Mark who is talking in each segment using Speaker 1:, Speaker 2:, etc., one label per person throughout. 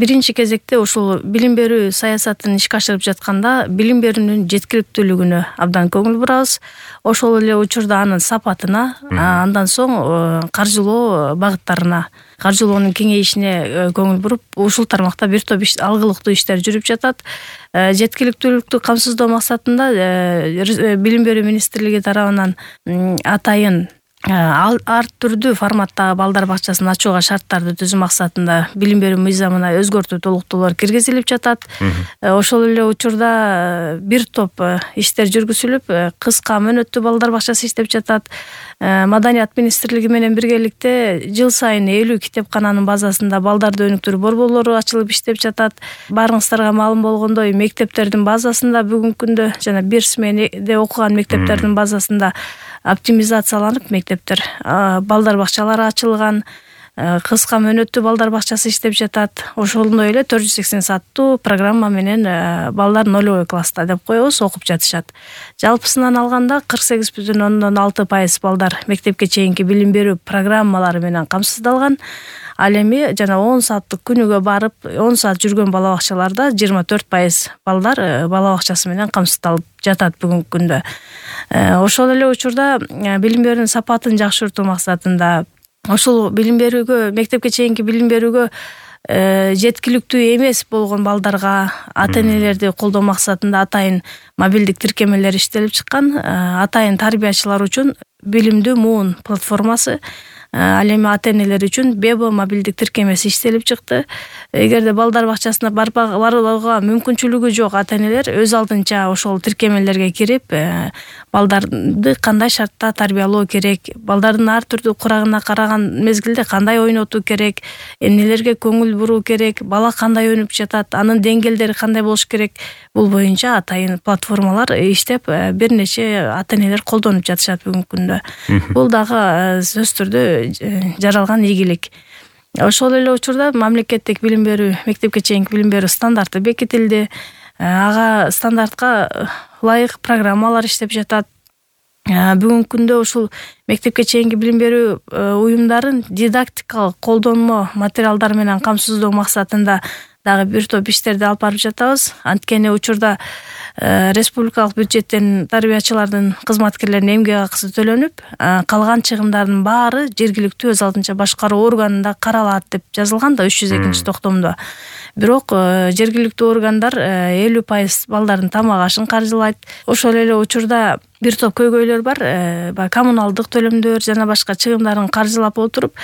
Speaker 1: биринчи кезекте ушул билим берүү саясатын ишке ашырып жатканда билим берүүнүн жеткиликтүүлүгүнө абдан көңүл бурабыз. Ошол эле учурда анын сапатына, андан соң каржылоо багыттарына, каржылоонун кеңейишине көңүл буруп, ушул тармакта бир топ алгылыктуу иштер жүрүп жатат. Жеткиликтүүлүктү камсыздоо максатында билим берүү министрлиги тарабынан атайын ар түрдүү форматтагы балдар бакчасын ачууга шарттарды түзүү максатында билим берүү мыйзамына өзгөртүү толуктоолор киргизилип жатат. Ошол эле учурда бир топ иштер жүргүзүлүп, кыска мөөнөттүү балдар бакчасы иштеп жатат. Маданият министрлиги менен биргеликте жыл сайын 50 китепкананын базасында балдарды өнүктүрүү борборлору ачылып иштеп жатат. Баарыңыздарга маалым болгондой, мектептердин базасында бүгүнкү күндө жана бир сменеде окуган мектептердин базасында оптимизацияланып мектептер, балдар бакчалары ачылган, кыска мөөнөттүү балдар бакчасы иштеп жатат. Ошондой эле 480 сааттуу программа менен балдар 0 класста деп коебуз, окуп жатышат. Жалпысынан алганда 48,6% балдар мектепке чейинки билим берүү программалары менен камсыздалган. Ал эми жана 10 сааттык күнүгө барып, 10 саат жүргөн бала бакчаларда 24% балдар бала бакчасы менен камсыздалып жатат бүгүнкү күндө. Ошол эле учурда билим берүүнүн сапатын жакшыртуу максатында ошол билим берүүгө, мектепке чейинки билим берүүгө жеткиликтүү эмес болгон балдарга ата-энелерди колдоо максатында атайын мобилдик тиркемелер иштелип чыккан. Атайын тарбиячылар үчүн билимдүү муун платформасы, ал эми ата-энелер үчүн Бебо мобилдик тиркемеси иштелип чыкты. Эгерде балдар бакчасына барууга мүмкүнчүлүгү жок ата-энелер өз алдынча ошол тиркемелерге кирип, балдарды кандай шартта тарбиялоо керек, балдардын ар түрдүү курагына караган мезгилде кандай ойнотуу керек, эмнелерге көңүл буруу керек, бала кандай өнүп жатат, анын деңгээлдери кандай болуш керек, бул боюнча атайын платформалар иштеп, бир нече ата-энелер колдонуп жатышат бүгүнкү күндө. Бул дагы сөзсүз түрдө жаралган ийгилик. Ошол эле учурда мамлекеттик билим берүү, мектепке чейинки билим берүү стандарты бекитилди. Ага стандартка ылайык программалар иштеп жатат. Бүгүнкү күндө ушул мектепке чейинки билим берүү уюмдарын дидактикалык колдонмо материалдар менен камсыздоо максатында дагы бир топ иштерди алып барып жатабыз. Анткени учурда республикалык бюджеттен тарбиячылардын, кызматкерлердин эмгек акысы төлөнүп, калган чыгымдардын баары жергиликтүү өз алдынча башкаруу органында каралат деп жазылган да 302 токтомдо. Бирок жергиликтүү органдар 50% балдардын тамак ашын каржылайт. Ошол эле учурда бир топ көйгөйлөр бар. Коммуналдык төлөмдөр жана башка чыгымдарын каржылап отуруп,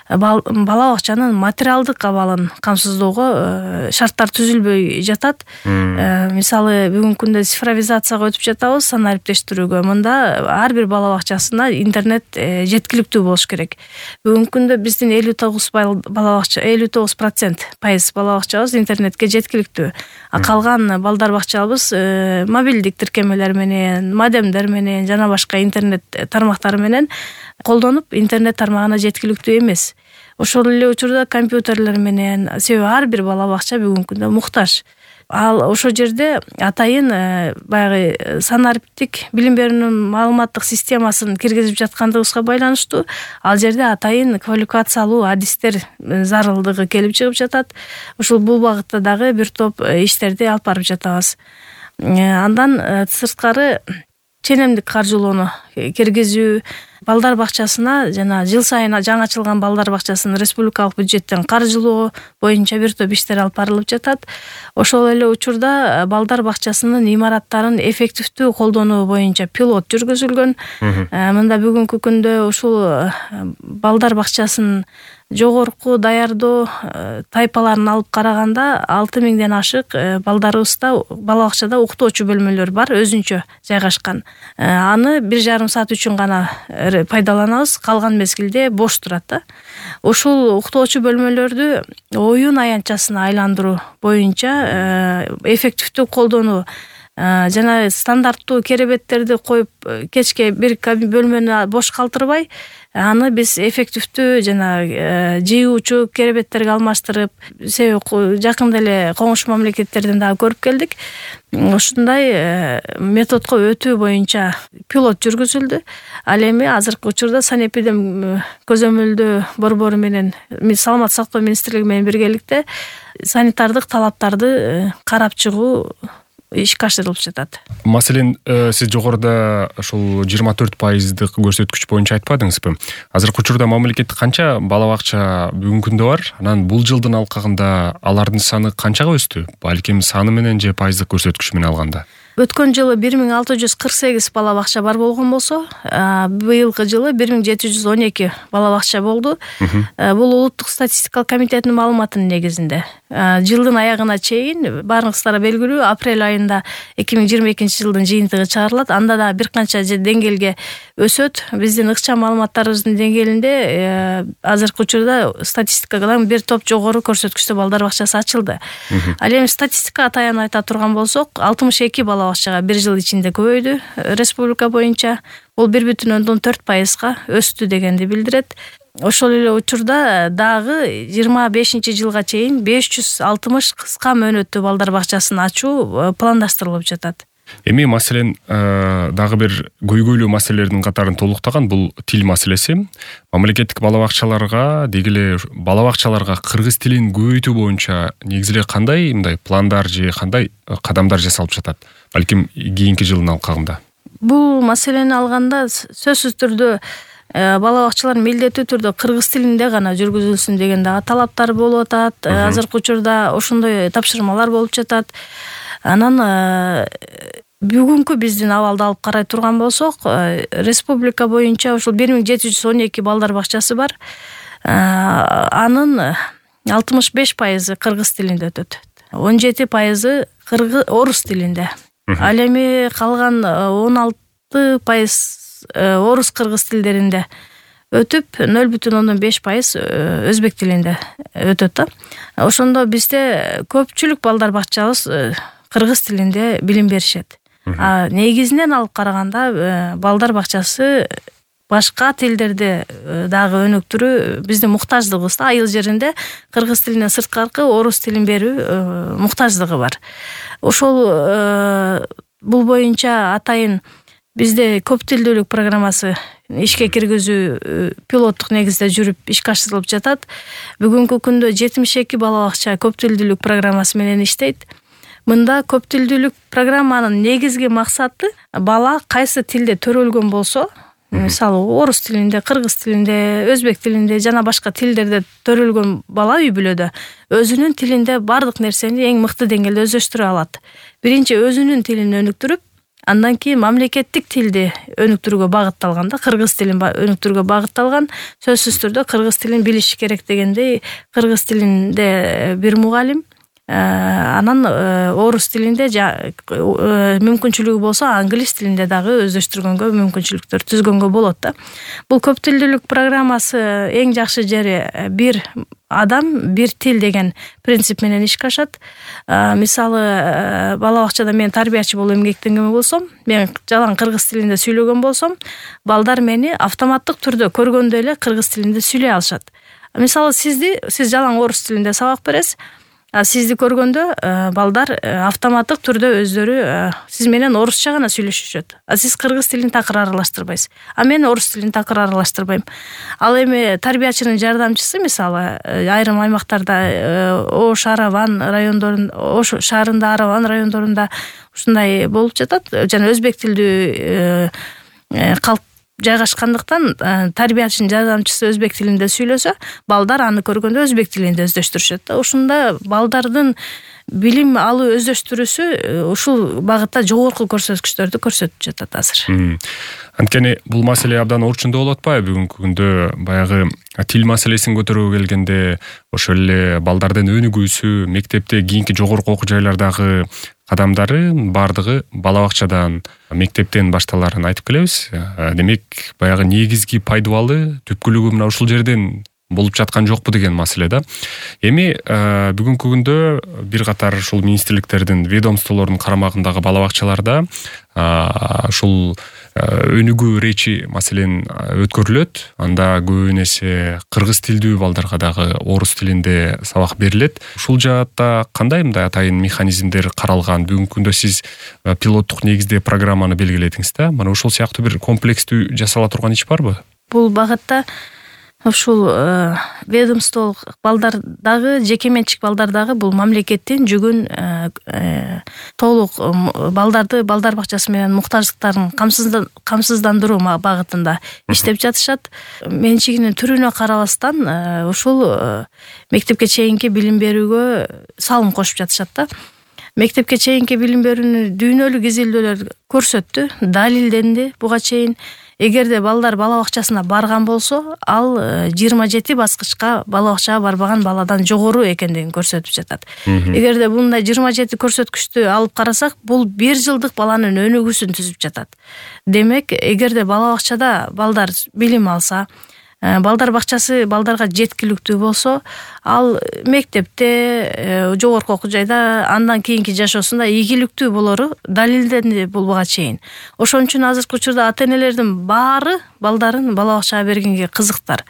Speaker 1: бала бакчанын материалдык абалын камсыздоого шарттар түзүлбөй жатат. Мисалы, бүгүнкү күндө цифровизацияга өтүп жатабыз, сан ариптештирүүгө. Мында ар бир бала бакчасына интернет жеткиликтүү болуш керек. Бүгүнкү күндө биздин 59% бала бакчабыз интернетке жеткиликтүү. Калган балдар бакчабыз мобилдик тиркемелер менен, модемдер менен жана башка интернет тармактары менен колдонуп, интернет тармагына жеткиликтүү эмес. Ошол эле учурда компьютерлер менен, себеби ар бир бала бакча бүгүнкү күндө муктаж. Ал ошол жерде атайын баягы санариптик билим берүүнүн маалыматтык системасын киргизип жаткандыгыбызга байланыштуу ал жерде атайын квалификациялуу адистер зарылдыгы келип чыгып жатат. Ушул бул багытта дагы бир топ иштерди алып барып жатабыз. Андан сырткары ченемдик каржылоону киргизүү, балдар бакчасына жана жыл сайын жаңы ачылган балдар бакчасын республикалык бюджеттен каржылоо боюнча бир топ иштер алып барылып жатат. Ошол эле учурда балдар бакчасынын имараттарын эффективдүү колдонуу боюнча пилот жүргүзүлгөн. Мында бүгүнкү күндө ушул балдар бакчасын жогорку даярдоо тайпаларын алып караганда 6000ден ашык балдарыбызда бала бакчада уктоочу бөлмөлөр бар, өзүнчө жайгашкан. Аны 1,5 саат үчүн гана пайдаланабыз, калган мезгилде бош турат да. Ушул уктоочу бөлмөлөрдү оюн аянтчасына айландыруу боюнча эффективдүү колдонуу жана стандарттуу керебеттерди коюп кечке бир бөлмөнү бош калтырбай, аны биз эффективдүү жана жыюучу керебеттерге алмаштырып, себеби жакында эле коңшу мамлекеттерден дагы көрүп келдик. Ушундай методго өтүү боюнча пилот жүргүзүлдү. Ал эми азыркы учурда санэпидем көзөмөлдөө борбору менен Саламаттык сактоо министрлиги менен биргеликте санитардык талаптарды карап чыгуу ишке ашырылып жатат.
Speaker 2: Маселен, сиз жогоруда ошол 24% көрсөткүч боюнча айтпадыңызбы? Азыркы учурда мамлекетте канча бала бакча бүгүнкү күндө бар? Анан бул жылдын алкагында алардын саны канчага өстү? Балким саны менен же пайыздык көрсөткүч менен алганда?
Speaker 1: Өткөн жылы 1648 бала бакча бар болгон болсо, быйылкы жылы 1712 бала бакча болду. Бул улуттук статистикалык комитеттин маалыматынын негизинде. Жылдын аягына чейин баарыңыздарга белгилүү, апрель айында 2022 жылдын жыйынтыгы чыгарылат. Анда да бир канча деңгээлге өсөт. Биздин ыкчам маалыматтарыбыздын деңгээлинде азыркы учурда статистикадан бир топ жогору көрсөткүчтө балдар бакчасы ачылды. Ал эми статистикага таян айта турган болсок, 62 бала бакчага бир жыл ичинде көбөйдү республика боюнча. Бул 1,4% өстү дегенди билдирет. Ошол эле учурда дагы 25-жылга чейин 560 кыска мөөнөттүү балдар бакчасын ачуу пландаштырылып жатат.
Speaker 2: Эми маселен дагы бир көйгөйлүү маселелердин катарын толуктаган бул тил маселеси. Мамлекеттик бала бакчаларга, деги эле бала бакчаларга кыргыз тилин көбөйтүү боюнча негизи эле кандай мындай пландар же кандай кадамдар жасалып жатат? Балким кийинки жылдын алкагында.
Speaker 1: Бул маселени алганда сөзсүз түрдө бала бакчалар милдеттүү түрдө кыргыз тилинде гана жүргүзүлсүн деген дагы талаптар болуп атат. Азыркы учурда ошондой тапшырмалар болуп жатат. Анан бүгүнкү биздин абалды алып карай турган болсок, республика боюнча ушул 1712 балдар бакчасы бар. Анын 65% кыргыз тилинде өтөт. 17% орус тилинде. Ал эми калган 16% орус кыргыз тилдеринде өтүп, 0,5% өзбек тилинде өтөт да. Ошондо бизде көпчүлүк балдар бакчабыз кыргыз тилинде билим беришет. Негизинен алып караганда балдар бакчасы башка тилдерде дагы өнүктүрүү биздин муктаждыгыбыз да. Айыл жеринде кыргыз тилинен сырткаркы орус тилин берүү муктаждыгы бар. Ошол бул боюнча атайын бизде көп тилдүүлүк программасы ишке киргизүү пилоттук негизде жүрүп ишке ашырылып жатат. Бүгүнкү күндө 72 бала бакча көп тилдүүлүк программасы менен иштейт. Мында көп тилдүүлүк программанын негизги максаты бала кайсы тилде төрөлгөн болсо, мисалы орус тилинде, кыргыз тилинде, өзбек тилинде жана башка тилдерде төрөлгөн бала үй бүлөдө өзүнүн тилинде бардык нерсени эң мыкты деңгээлде өздөштүрө алат. Биринчи өзүнүн тилин өнүктүрүп, андан кийин мамлекеттик тилди өнүктүрүүгө багытталган да, кыргыз тилин өнүктүрүүгө багытталган. Сөзсүз түрдө кыргыз тилин билиш керек дегендей, кыргыз тилинде бир мугалим, анан орус тилинде мүмкүнчүлүгү болсо англис тилинде дагы өздөштүргөнгө мүмкүнчүлүктөр түзгөнгө болот да. Бул көп тилдүүлүк программасы эң жакшы жери бир адам, бир тил деген принцип менен ишке ашат. Мисалы, бала бакчада мен тарбиячы болуп эмгектенген болсом, мен жалаң кыргыз тилинде сүйлөгөн болсом, балдар мени автоматтык түрдө көргөндө эле кыргыз тилинде сүйлөй алышат. Мисалы, сиз жалаң орус тилинде сабак бересиз. Сизди көргөндө балдар автоматтык түрдө өздөрү сиз менен орусча гана сүйлөшүшөт. Сиз кыргыз тилин такыр аралаштырбайсыз. Мен орус тилин такыр аралаштырбайм. Ал эми тарбиячынын жардамчысы, мисалы, айрым аймактарда Ош Араван райондорунда, Ош шаарында, Араван райондорунда ушундай болуп жатат. Жана өзбек тилдүү калп жайгашкандыктан тарбиячынын жардамчысы өзбек тилинде сүйлөсө, балдар аны көргөндө өзбек тилинде өздөштүрүшөт. Ушунда балдардын билим алуу өздөштүрүүсү ушул багытта жогорку көрсөткүчтөрдү көрсөтүп жатат азыр.
Speaker 2: Анткени бул маселе абдан орчундуу болуп атпайбы бүгүнкү күндө? Баягы тил маселесин көтөрүүгө келгенде ошол эле балдардын өнүгүүсү, мектепте кийинки жогорку окуу жайлардагы кадамдары бардыгы бала бакчадан, мектептен башталарын айтып келебиз. Демек, баягы негизги пайдубалы түпкүлүгү мына ушул жерден болуп жаткан жокпу деген маселе да. Эми бүгүнкү күндө бир катар ушул министрликтердин, ведомстволордун карамагындагы бала бакчаларда ушул өнүгүү речи маселен өткөрүлөт. Анда көбүн эсе кыргыз тилдүү балдарга дагы орус тилинде сабак берилет. Ушул жаатта кандай мындай атайын механизмдер каралган? Бүгүнкү күндө сиз пилоттук негизде программаны белгиледиңиз да. Мына ушул сыяктуу бир комплекстүү жасала турган иш барбы?
Speaker 1: Бул багытта ушул ведомстволук балдар дагы, жеке менчик балдар дагы бул мамлекеттин жүгүн толук балдарды балдар бакчасы менен муктаждыктарын камсыздандыруу багытында иштеп жатышат. Менчигинин түрүнө карабастан ушул мектепке чейинки билим берүүгө салым кошуп жатышат да. Мектепке чейинки билим берүүнү дүйнөлүк изилдөөлөр көрсөттү, далилденди буга чейин. Эгерде балдар бала бакчасына барган болсо, ал 27 баскычка бала бакчага барбаган баладан жогору экендигин көрсөтүп жатат. Эгерде мындай 27 көрсөткүчтү алып карасак, бул 1 жылдык баланын өнүгүүсүн түзүп жатат. Демек, эгерде бала бакчада балдар билим алса, балдар бакчасы балдарга жеткиликтүү болсо, ал мектепте, жогорку окуу жайда, андан кийинки жашоосунда ийгиликтүү болору далилденди бул буга чейин. Ошон үчүн азыркы учурда ата-энелердин баары балдарын бала бакчага бергенге кызыктар.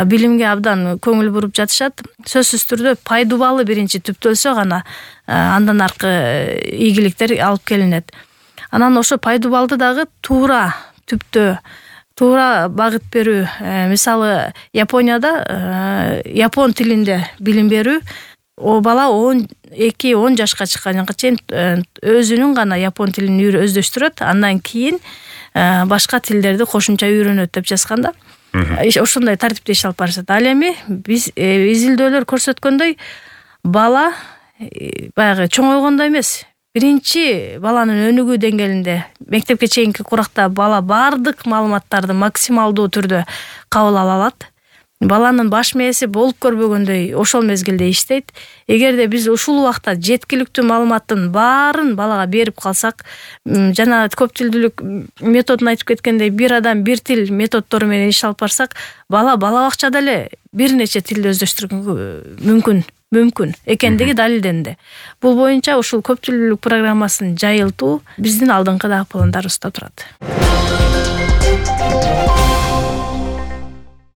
Speaker 1: Билимге абдан көңүл буруп жатышат. Сөзсүз түрдө пайдубалы биринчи түптөлсө гана андан аркы ийгиликтер алып келинет. Анан ошо пайдубалды дагы туура түптөө, туура багыт берүү. Мисалы, Японияда япон тилинде билим берүү, о бала 12-10 жашка чыкканга чейин өзүнүн гана япон тилин өздөштүрөт, андан кийин башка тилдерди кошумча үйрөнөт деп жазганда. Ошондой тартипте иш алып барышат. Ал эми биз изилдөөлөр көрсөткөндөй, бала баягы чоңойгондо эмес, биринчи баланын өнүгүү деңгээлинде мектепке чейинки куракта бала бардык маалыматтарды максималдуу түрдө кабыл ала алат. Баланын баш мээси болуп көрбөгөндөй ошол мезгилде иштейт. Эгерде биз ушул убакта жеткиликтүү маалыматтын баарын балага берип калсак, жана көп тилдүүлүк методун айтып кеткендей, бир адам бир тил методдору менен иш алып барсак, бала бакчада эле бир нече тилди өздөштүргөнгө мүмкүн экендиги далилденди. Бул боюнча ушул көп тилдүүлүк программасын жайылтуу биздин алдыңкы пландарыбызда турат.